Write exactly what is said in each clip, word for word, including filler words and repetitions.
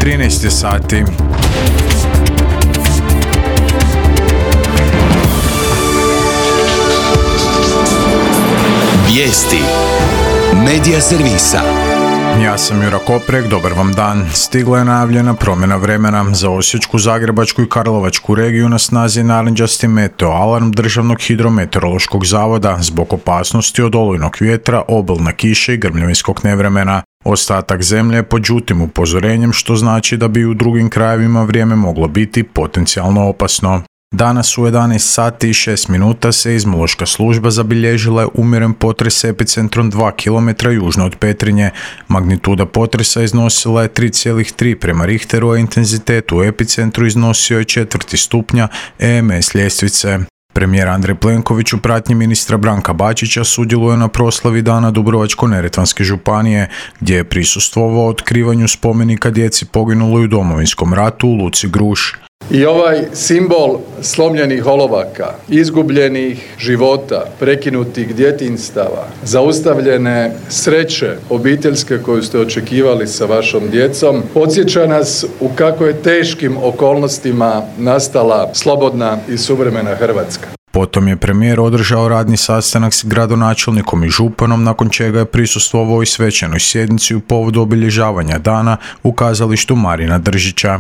trinaest je sati. Vijesti Medija servisa. Ja sam Jura Koprek, dobar vam dan. Stigla je najavljena promjena vremena. Za Osječku, Zagrebačku i Karlovačku regiju na snazi je narančasti meteo alarm Državnog hidrometeorološkog zavoda zbog opasnosti od olujnog vjetra, obilne kiše i grmljavinskog nevremena. Ostatak zemlje je pod žutim upozorenjem, što znači da bi u drugim krajevima vrijeme moglo biti potencijalno opasno. Danas u jedanaest sati i šest minuta seizmološka služba zabilježila je umjeren potres s epicentrom dva kilometra južno od Petrinje. Magnituda potresa iznosila je tri zarez tri prema Richteru, a intenzitet u epicentru iznosio je četvrti stupnja E M S ljestvice. Premijer Andrej Plenković u pratnji ministra Branka Bačića sudjeluje na proslavi Dana Dubrovačko-neretvanske županije, gdje je prisustvovao otkrivanju spomenika djeci poginuloj u Domovinskom ratu u Luci Gruž. I ovaj simbol slomljenih olovaka, izgubljenih života, prekinutih djetinjstava, zaustavljene sreće obiteljske koju ste očekivali sa vašom djecom, podsjeća nas u kako je teškim okolnostima nastala slobodna i suvremena Hrvatska. Potom je premijer održao radni sastanak s gradonačelnikom i županom, nakon čega je prisustvovao i svečanoj sjednici u povodu obilježavanja dana u kazalištu Marina Držića.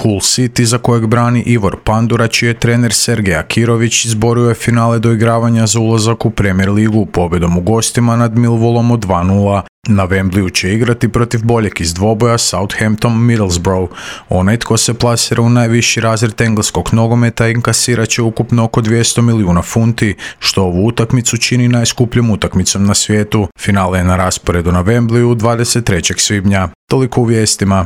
Hull City, za kojeg brani Ivor Pandura, čiji je trener Sergej Akirović, izborio je finale doigravanja za ulazak u Premier ligu pobjedom u gostima nad Millwallom od dva nula. Na Wembleyu će igrati protiv boljeg iz dvoboja Southampton Middlesbrough. Onaj tko se plasira u najviši razred engleskog nogometa inkasirat će ukupno oko dvjesto milijuna funti, što ovu utakmicu čini najskupljom utakmicom na svijetu. Finale je na rasporedu na Wembleyu dvadeset trećeg svibnja. Toliko u vijestima.